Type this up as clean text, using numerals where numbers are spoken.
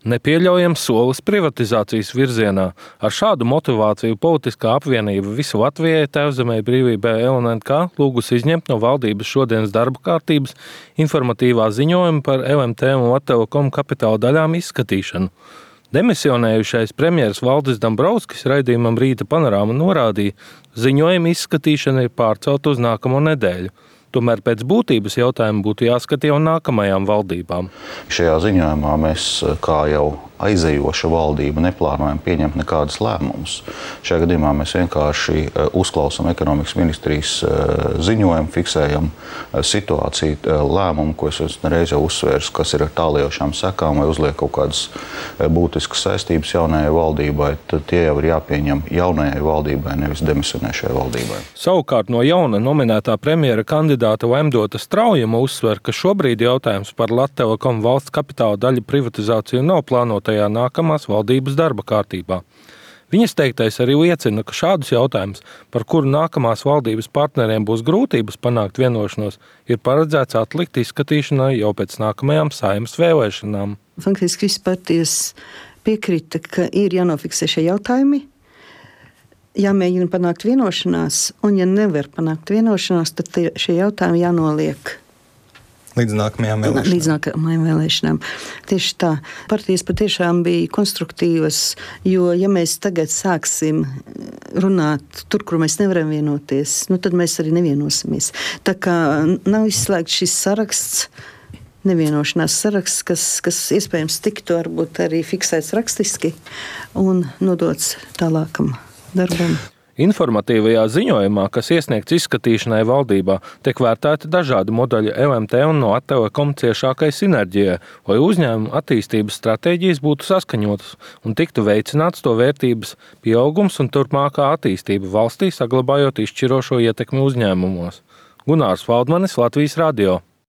Nepieļaujams solis privatizācijas virzienā. Ar šādu motivāciju politiskā apvienība Visu Latvijai, Tēvzemei, Brīvībai, LNK lūgusi izņemt no valdības šodienas darba kārtības informatīvā ziņojuma par LMT un Latelekom kapitāla daļām izskatīšanu. Demisionējušais premjeras Valdis Dombrovskis raidījumam Rīta panorāma norādīja, ziņojuma izskatīšana ir pārcelta uz nākamo nedēļu. Tomēr pēc būtības jautājumu būtu jāskata jau nākamajām valdībām. Šajā ziņojumā mēs, kā jau aizejoša valdība, neplānojam pieņemt nekādus lēmumus. Šajā gadījumā mēs vienkārši uzklausām ekonomikas ministrijas ziņojumu, fiksējam situāciju, lēmumu, ko es nereiz jau uzsvēru, kas ir ar tālējošām sekām vai uzliek kaut kādas būtiskas saistības jaunajai valdībai, tad tie jau ir jāpieņem jaunajai valdībai, nevis demisionēšajai valdībai. Savukārt no jauna nominētā premjera kandidāta Vaimdota Straujuma uzsver, ka šobrīd jautājums par Latelekom valsts kapitāla daļu privatizāciju nav plānotajā nākamās valdības darba kārtībā. Viņas teiktais arī liecina, ka šādus jautājumus, par kuru nākamās valdības partneriem būs grūtības panākt vienošanos, ir paredzēts atlikt izskatīšanai jau pēc nākamajām Saeimas vēlēšanām. Faktiski visas partijas piekrita, ka ir jānofiksē šie jautājumi, jāmēģina panākt vienošanās, un ja nevar panākt vienošanās, tad šie jautājumi jānoliek līdz nākamajām vēlēšanām. Tieši tā. Partijas patiešām bija konstruktīvas, jo ja mēs tagad sāksim runāt tur, kur mēs nevaram vienoties, tad mēs arī nevienosimies. Tā kā nav izslēgts šis saraksts, nevienošanās saraksts, kas iespējams tiktu varbūt arī fiksēts rakstiski un nodots tālākam darbam. Informatīvajā ziņojumā, kas iesniegts izskatīšanai valdībā, tiek vērtēti dažādi modeļi LMT un no Latelekom ciešākai sinerģijai, lai uzņēmumu attīstības stratēģijas būtu saskaņotas un tiktu veicināts to vērtības pieaugums un turpmākā attīstība valstī, saglabājot izšķirošo ietekmi uzņēmumos. Gunārs Valdmanis, Latvijas radio.